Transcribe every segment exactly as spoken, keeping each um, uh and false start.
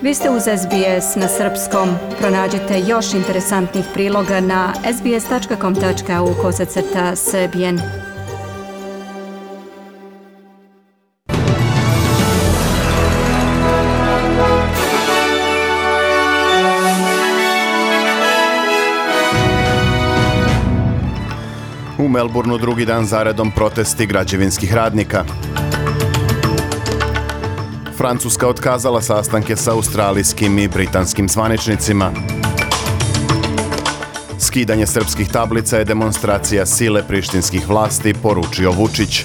Vi ste uz S B S na srpskom. Pronađite još interesantnih priloga na sbs.com tačka au kosacrta srbijen. U Melbourneu drugi dan zaredom protesti građevinskih radnika. Francuska otkazala sastanke sa australijskim i britanskim zvaničnicima. Skidanje srpskih tablica je demonstracija sile prištinskih vlasti, poručio Vučić.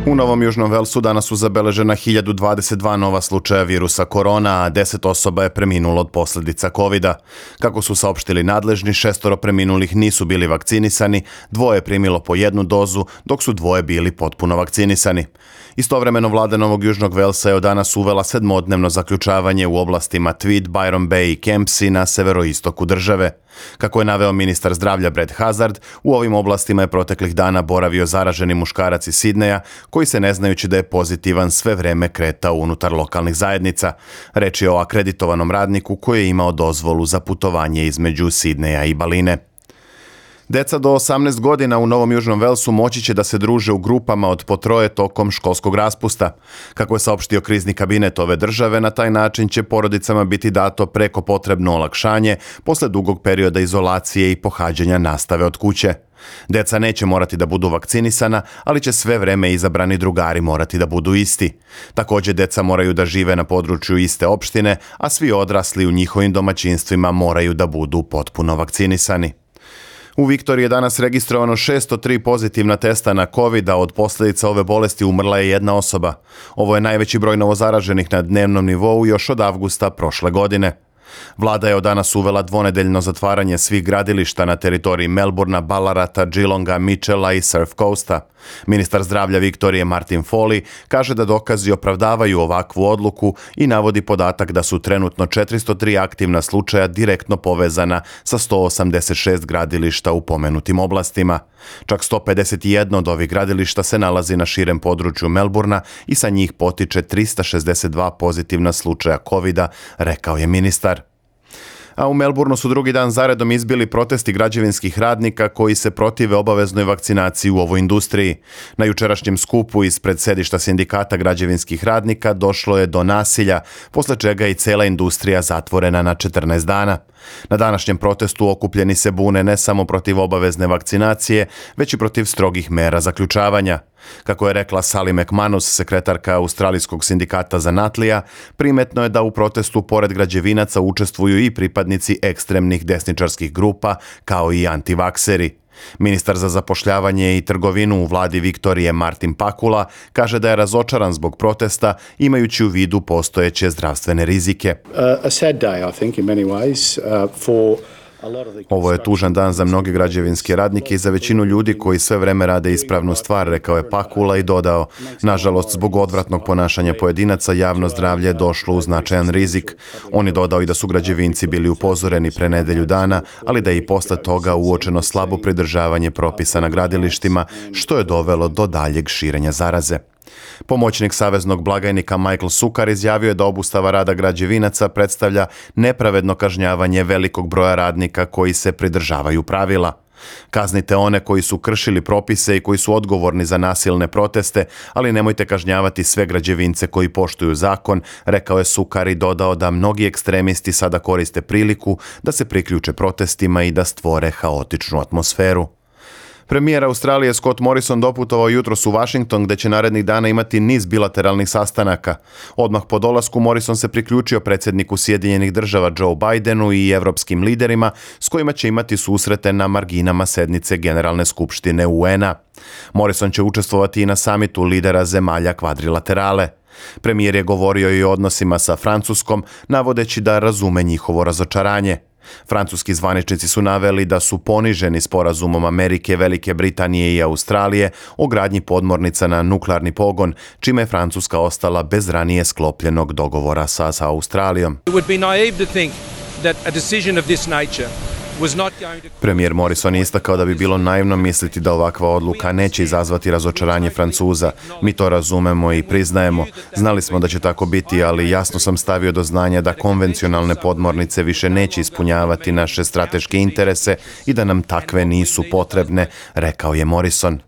U Novom Južnom Velsu danas su zabeležena hiljadu dvadeset dva nova slučaja virusa korona, a deset osoba je preminulo od posljedica kovida. Kako su saopštili nadležni, šestoro preminulih nisu bili vakcinisani, dvoje je primilo po jednu dozu, dok su dvoje bili potpuno vakcinisani. Istovremeno vlada Novog Južnog Velsa je od danas uvela sedmodnevno zaključavanje u oblastima Tweed, Byron Bay i Kempsey na severoistoku države. Kako je naveo ministar zdravlja Brad Hazard, u ovim oblastima je proteklih dana boravio zaraženi muškarac iz Sidneja, koji se ne znajući da je pozitivan sve vreme kretao unutar lokalnih zajednica. Reč je o akreditovanom radniku koji je imao dozvolu za putovanje između Sidneja i Baline. Deca do osamnaest godina u Novom Južnom Velsu moći će da se druže u grupama od po troje tokom školskog raspusta. Kako je saopštio krizni kabinet ove države, na taj način će porodicama biti dato preko potrebno olakšanje posle dugog perioda izolacije i pohađanja nastave od kuće. Deca neće morati da budu vakcinisana, ali će sve vreme izabrani drugari morati da budu isti. Također, deca moraju da žive na području iste opštine, a svi odrasli u njihovim domaćinstvima moraju da budu potpuno vakcinisani. U Viktoriji je danas registrovano šesto tri pozitivna testa na COVID, a od posljedica ove bolesti umrla je jedna osoba. Ovo je najveći broj novozaraženih na dnevnom nivou još od avgusta prošle godine. Vlada je od danas uvela dvonedeljno zatvaranje svih gradilišta na teritoriji Melbourna, Ballarata, Geelonga, Mitchella i Surf Coasta. Ministar zdravlja Viktorije Martin Foley kaže da dokazi opravdavaju ovakvu odluku i navodi podatak da su trenutno četiristo tri aktivna slučaja direktno povezana sa sto osamdeset šest gradilišta u pomenutim oblastima. Čak sto pedeset jedan od ovih gradilišta se nalazi na širem području Melbourna i sa njih potiče tristo šezdeset dva pozitivna slučaja kovida, rekao je ministar. A u Melbourneu su drugi dan zaredom izbili protesti građevinskih radnika koji se protive obaveznoj vakcinaciji u ovoj industriji. Na jučerašnjem skupu ispred sedišta sindikata građevinskih radnika došlo je do nasilja, posle čega je i cela industrija zatvorena na četrnaest dana. Na današnjem protestu okupljeni se bune ne samo protiv obavezne vakcinacije, već i protiv strogih mera zaključavanja. Kako je rekla Sally McManus, sekretarka Australijskog sindikata zanatlija, primetno je da u protestu pored građevinaca učestvuju i pripadnici ekstremnih desničarskih grupa, kao i antivakseri. Ministar za zapošljavanje i trgovinu u vladi Viktorije Martin Pakula kaže da je razočaran zbog protesta, imajući u vidu postojeće zdravstvene rizike. A sad day, I think, in many ways, uh, for Ovo je tužan dan za mnoge građevinske radnike i za većinu ljudi koji sve vreme rade ispravnu stvar, rekao je Pakula i dodao, nažalost, zbog odvratnog ponašanja pojedinaca, javno zdravlje je došlo u značajan rizik. On je dodao i da su građevinci bili upozoreni pre nedelju dana, ali da je i posle toga uočeno slabo pridržavanje propisa na gradilištima, što je dovelo do daljeg širenja zaraze. Pomoćnik saveznog blagajnika Michael Sukar izjavio je da obustava rada građevinaca predstavlja nepravedno kažnjavanje velikog broja radnika koji se pridržavaju pravila. Kaznite one koji su kršili propise i koji su odgovorni za nasilne proteste, ali nemojte kažnjavati sve građevince koji poštuju zakon, rekao je Sukar i dodao da mnogi ekstremisti sada koriste priliku da se priključe protestima i da stvore haotičnu atmosferu. Premijer Australije Scott Morrison doputovao jutros u Washington, gde će narednih dana imati niz bilateralnih sastanaka. Odmah po dolasku Morrison se priključio predsjedniku Sjedinjenih država Joe Bidenu i evropskim liderima, s kojima će imati susrete na marginama sednice Generalne skupštine U N-a. Morrison će učestvovati i na samitu lidera zemalja kvadrilaterale. Premijer je govorio i o odnosima sa Francuskom, navodeći da razume njihovo razočaranje. Francuski zvaničnici su naveli da su poniženi sporazumom Amerike, Velike Britanije i Australije o gradnji podmornica na nuklearni pogon, čime je Francuska ostala bez ranije sklopljenog dogovora sa, sa Australijom. It would be naive to think that a decision of this nature Premijer Morrison je istakao da bi bilo naivno misliti da ovakva odluka neće izazvati razočaranje Francuza. Mi to razumemo i priznajemo. Znali smo da će tako biti, ali jasno sam stavio do znanja da konvencionalne podmornice više neće ispunjavati naše strateške interese i da nam takve nisu potrebne, rekao je Morrison.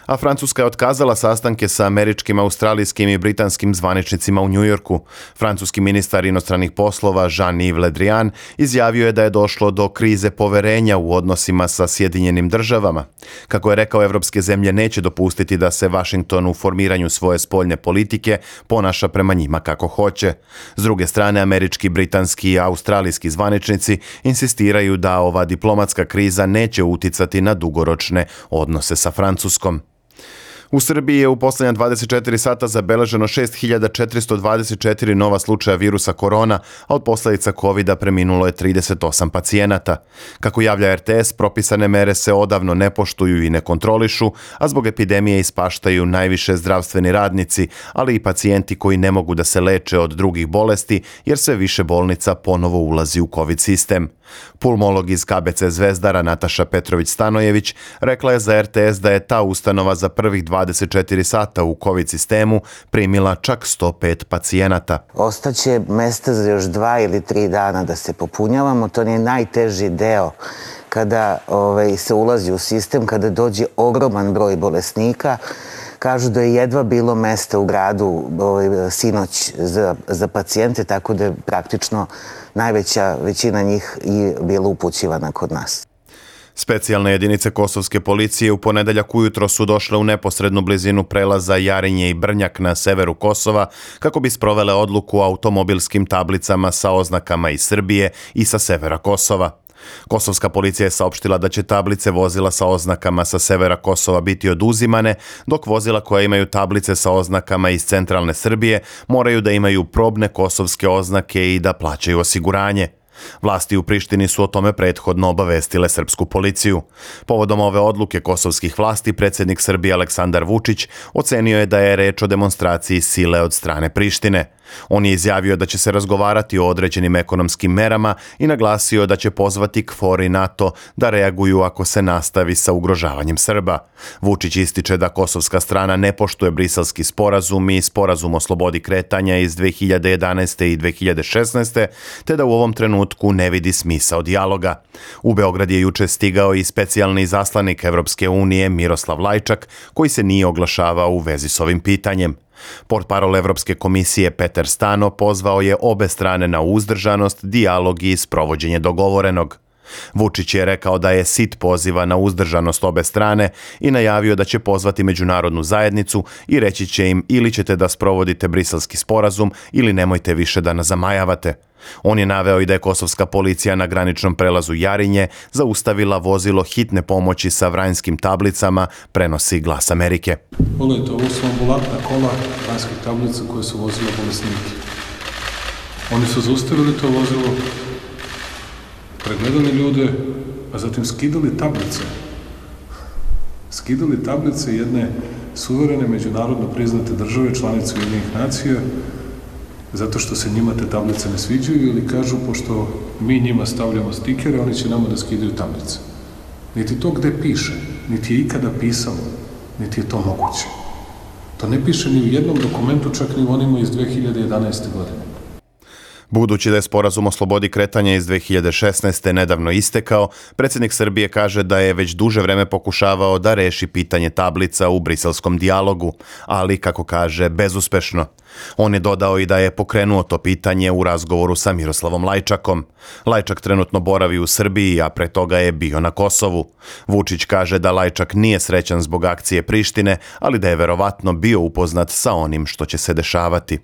A Francuska je otkazala sastanke sa američkim, australijskim i britanskim zvaničnicima u Njujorku. Francuski ministar inostranih poslova Jean-Yves Le Drian izjavio je da je došlo do krize poverenja u odnosima sa Sjedinjenim državama. Kako je rekao, evropske zemlje neće dopustiti da se Washington u formiranju svoje spoljne politike ponaša prema njima kako hoće. S druge strane, američki, britanski i australijski zvaničnici insistiraju da ova diplomatska kriza neće uticati na dugoročne odnose sa Francuskom. U Srbiji je u posljednja dvadeset četiri sata zabeleženo šest hiljada četiristo dvadeset četiri nova slučaja virusa korona, a od posljedica kovida preminulo je trideset osam pacijenata. Kako javlja er te es, propisane mere se odavno ne poštuju i ne kontrolišu, a zbog epidemije ispaštaju najviše zdravstveni radnici, ali i pacijenti koji ne mogu da se leče od drugih bolesti, jer sve više bolnica ponovo ulazi u COVID sistem. Pulmolog iz ka be ce Zvezdara Nataša Petrović-Stanojević rekla je za er te es da je ta ustanova za prvih dvadeset četiri sata u COVID sistemu primila čak sto pet pacijenata. Ostaće mesta za još dva ili tri dana da se popunjavamo. To je najteži deo kada ovaj, se ulazi u sistem, kada dođe ogroman broj bolesnika. Kažu da je jedva bilo mesta u gradu ovaj, sinoć za, za pacijente, tako da je praktično najveća većina njih i bila upućivana kod nas. Specijalne jedinice kosovske policije u ponedeljak ujutro su došle u neposrednu blizinu prelaza Jarinje i Brnjak na severu Kosova kako bi sprovele odluku o automobilskim tablicama sa oznakama iz Srbije i sa severa Kosova. Kosovska policija je saopštila da će tablice vozila sa oznakama sa severa Kosova biti oduzimane, dok vozila koja imaju tablice sa oznakama iz centralne Srbije moraju da imaju probne kosovske oznake i da plaćaju osiguranje. Vlasti u Prištini su o tome prethodno obavestile srpsku policiju. Povodom ove odluke kosovskih vlasti, predsjednik Srbije Aleksandar Vučić ocenio je da je reč o demonstraciji sile od strane Prištine. On je izjavio da će se razgovarati o određenim ekonomskim merama i naglasio da će pozvati KFOR i NATO da reaguju ako se nastavi sa ugrožavanjem Srba. Vučić ističe da kosovska strana ne poštuje Briselski sporazum i sporazum o slobodi kretanja iz dve hiljade jedanaeste. i dve hiljade šesnaeste. te da u ovom trenutku ne vidi smisao dijaloga. U Beograd je juče stigao i specijalni izaslanik Evropske unije Miroslav Lajčak, koji se nije oglašavao u vezi s ovim pitanjem. Portparol Evropske komisije Peter Stano pozvao je obe strane na uzdržanost, dijalog i sprovođenje dogovorenog. Vučić je rekao da je sit poziva na uzdržanost obe strane i najavio da će pozvati međunarodnu zajednicu i reći će im ili ćete da sprovodite Briselski sporazum ili nemojte više da nas zamajavate. On je naveo i da je kosovska policija na graničnom prelazu Jarinje zaustavila vozilo hitne pomoći sa vranjskim tablicama, prenosi Glas Amerike. Pogledajte, ovo su ambulantna kola vranjskih tablica koje su vozile bolesnike. Oni su zaustavili to vozilo, pregledali ljude, a zatim skidali tablice. Skidali tablice jedne suverene međunarodno priznate države, članice Ujedinjenih nacija, zato što se njima te tablice ne sviđaju ili kažu, pošto mi njima stavljamo stikere, oni će nama da skidaju tablice. Niti to gde piše, niti je ikada pisalo, niti je to moguće. To ne piše ni u jednom dokumentu, čak ni u onima iz dve hiljade jedanaeste. godine. Budući da je sporazum o slobodi kretanja iz dve hiljade šesnaeste. nedavno istekao, predsjednik Srbije kaže da je već duže vreme pokušavao da reši pitanje tablica u briselskom dijalogu, ali, kako kaže, bezuspešno. On je dodao i da je pokrenuo to pitanje u razgovoru sa Miroslavom Lajčakom. Lajčak trenutno boravi u Srbiji, a pre toga je bio na Kosovu. Vučić kaže da Lajčak nije srećan zbog akcije Prištine, ali da je verovatno bio upoznat sa onim što će se dešavati.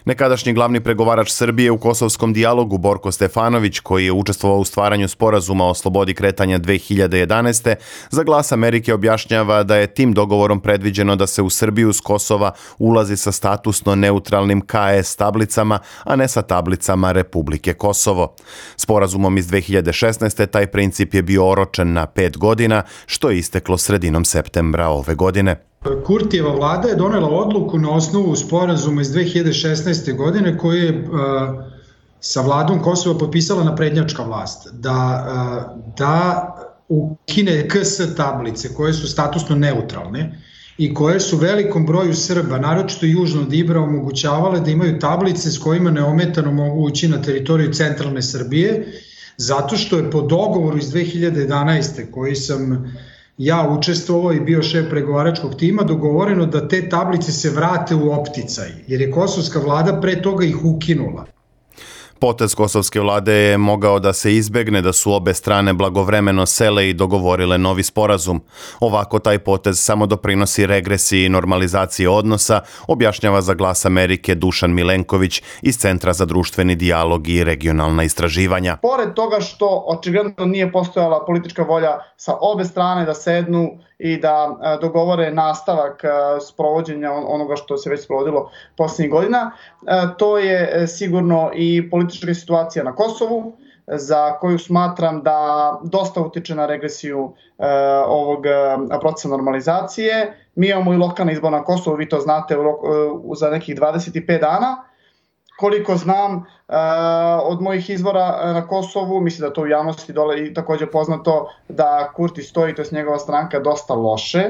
Nekadašnji glavni pregovarač Srbije u kosovskom dijalogu Borko Stefanović, koji je učestvovao u stvaranju sporazuma o slobodi kretanja dve hiljade jedanaeste. za Glas Amerike objašnjava da je tim dogovorom predviđeno da se u Srbiju s Kosova ulazi sa statusno neutralnim ka es tablicama, a ne sa tablicama Republike Kosovo. Sporazumom iz dve hiljade šesnaeste. taj princip je bio oročen na pet godina, što je isteklo sredinom septembra ove godine. Kurtijeva vlada je donela odluku na osnovu sporazuma iz dve hiljade šesnaeste. godine koji je uh, sa vladom Kosova potpisala naprednjačka vlast, da, da ukine K S tablice koje su statusno neutralne i koje su velikom broju Srba, naročito južno od Ibra, omogućavale da imaju tablice s kojima neometano mogu ući na teritoriju centralne Srbije, zato što je po dogovoru iz dve hiljade jedanaeste koji sam ja učestvovao i bio šef pregovaračkog tima, dogovoreno da te tablice se vrate u opticaj, jer je kosovska vlada pre toga ih ukinula. Potez kosovske vlade je mogao da se izbegne da su obe strane blagovremeno sele i dogovorile novi sporazum. Ovako taj potez samo doprinosi regresiji i normalizaciji odnosa, objašnjava za Glas Amerike Dušan Milenković iz Centra za društveni dijalog i regionalna istraživanja. Pored toga što očigledno nije postojala politička volja sa obe strane da sednu i da dogovore nastavak sprovođenja onoga što se već sprovodilo posljednjih godina, to je sigurno i politička situacija na Kosovu, za koju smatram da dosta utiče na regresiju ovog procesa normalizacije. Mi imamo i lokalne izbore na Kosovu, vi to znate, za nekih dvadeset pet dana. Koliko znam od mojih izvora na Kosovu, mislim da to u javnosti dole i također poznato da Kurti stoji, to je njegova stranka, dosta loše.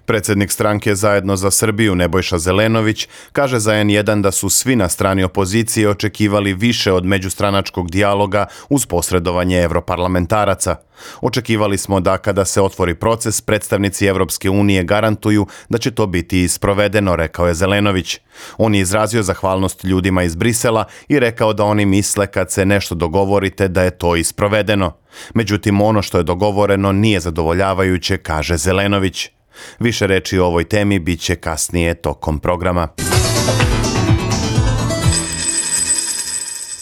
Predsjednik stranke Zajedno za Srbiju Nebojša Zelenović kaže za en jedan da su svi na strani opozicije očekivali više od međustranačkog dijaloga uz posredovanje evroparlamentaraca. Očekivali smo da kada se otvori proces, predstavnici Evropske unije garantuju da će to biti isprovedeno, rekao je Zelenović. On je izrazio zahvalnost ljudima iz Brisela i rekao da oni misle kad se nešto dogovorite da je to isprovedeno. Međutim, ono što je dogovoreno nije zadovoljavajuće, kaže Zelenović. Više reči o ovoj temi bit će kasnije tokom programa.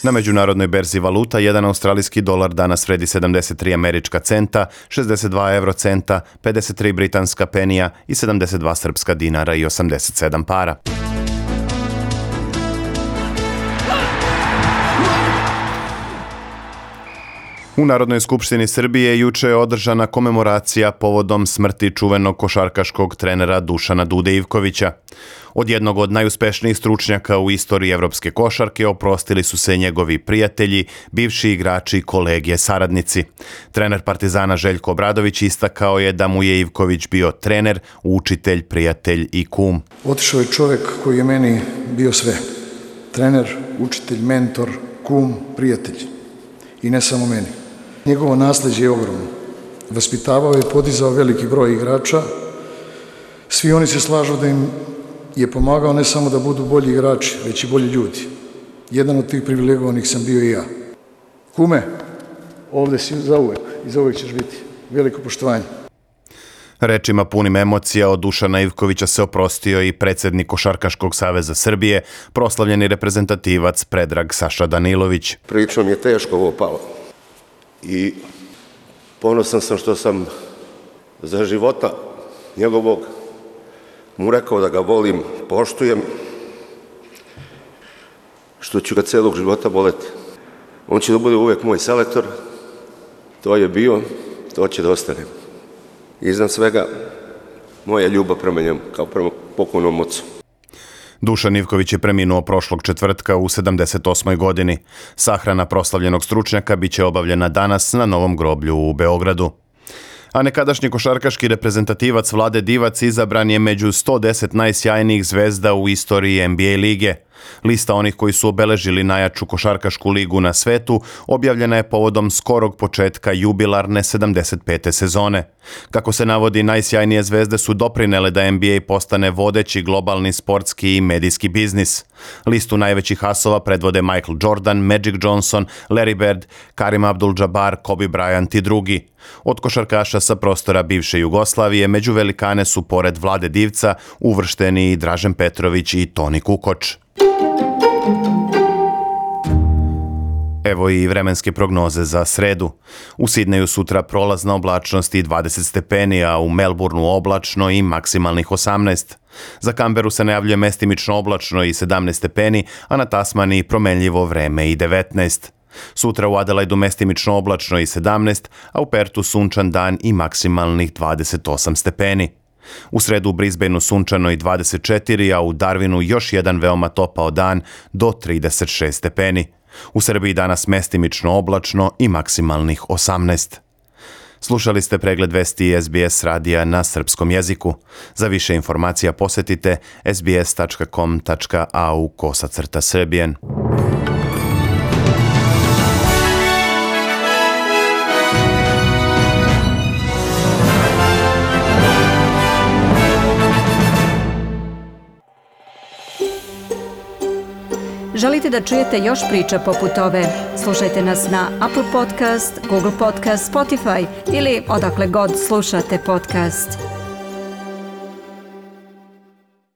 Na međunarodnoj berzi valuta jedan australijski dolar danas vredi sedamdeset tri američka centa, šezdeset dva evrocenta, pedeset tri britanska penija i sedamdeset dva srpska dinara i osamdeset sedam para. U Narodnoj skupštini Srbije juče je održana komemoracija povodom smrti čuvenog košarkaškog trenera Dušana Dude Ivkovića. Od jednog od najuspešnijih stručnjaka u istoriji evropske košarke oprostili su se njegovi prijatelji, bivši igrači, kolege, saradnici. Trener Partizana Željko Obradović istakao je da mu je Ivković bio trener, učitelj, prijatelj i kum. Otišao je čovjek koji je meni bio sve. Trener, učitelj, mentor, kum, prijatelj. I ne samo meni. Njegovo nasljeđe je ogromno. Vaspitavao je i podizao veliki broj igrača. Svi oni se slažu da im je pomagao ne samo da budu bolji igrači, već i bolji ljudi. Jedan od tih privilegovanih sam bio i ja. Kume, ovdje si zauvek i zauvek ćeš biti. Veliko poštovanje. Rečima punim emocija od Dušana Ivkovića se oprostio i predsjednik Košarkaškog saveza Srbije, proslavljeni reprezentativac Predrag Saša Danilović. Prilično mi je teško ovo palo i ponosan sam što sam za života njegovog mu rekao da ga volim, poštujem, što ću ga celog života voleti. On će da bude uvijek moj selektor, to je bio, to će da ostane. Iznad svega, moja ljubav prema njemu, kao prema pokojnom ocu. Dušan Ivković je preminuo prošlog četvrtka u sedamdeset osmoj godini. Sahrana proslavljenog stručnjaka biće obavljena danas na Novom groblju u Beogradu. A nekadašnji košarkaški reprezentativac Vlade Divac izabran je među sto deset najsjajnijih zvezda u istoriji N B A lige. Lista onih koji su obeležili najjaču košarkašku ligu na svetu objavljena je povodom skorog početka jubilarne sedamdeset pete sezone. Kako se navodi, najsjajnije zvezde su doprinele da N B A postane vodeći globalni sportski i medijski biznis. Listu najvećih asova predvode Michael Jordan, Magic Johnson, Larry Bird, Karim Abdul-Jabbar, Kobe Bryant i drugi. Od košarkaša sa prostora bivše Jugoslavije među velikane su pored Vlade Divca uvršteni i Dražen Petrović i Toni Kukoč. Evo i vremenske prognoze za sredu. U Sidneju sutra prolazna oblačnost i dvadeset stepeni, a u Melbourneu oblačno i maksimalnih osamnaest. Za Kamberu se najavljuje mestimično oblačno i sedamnaest stepeni, a na Tasmaniji promenljivo vreme i devetnaest. Sutra u Adelaidu mestimično oblačno i sedamnaest, a u Pertu sunčan dan i maksimalnih dvadeset osam stepeni. U sredu u Brisbaneu sunčano i dvadeset četiri, a u Darwinu još jedan veoma topao dan do trideset šest stepeni. U Srbiji danas mestimično oblačno i maksimalnih osamnaest. Slušali ste pregled vesti S B S radija na srpskom jeziku. Za više informacija posetite sbs tačka com tačka a u kosacrta srbijen. Želite da čujete još priča poput ove? Slušajte nas na Apple Podcast, Google Podcast, Spotify ili odakle god slušate podcast.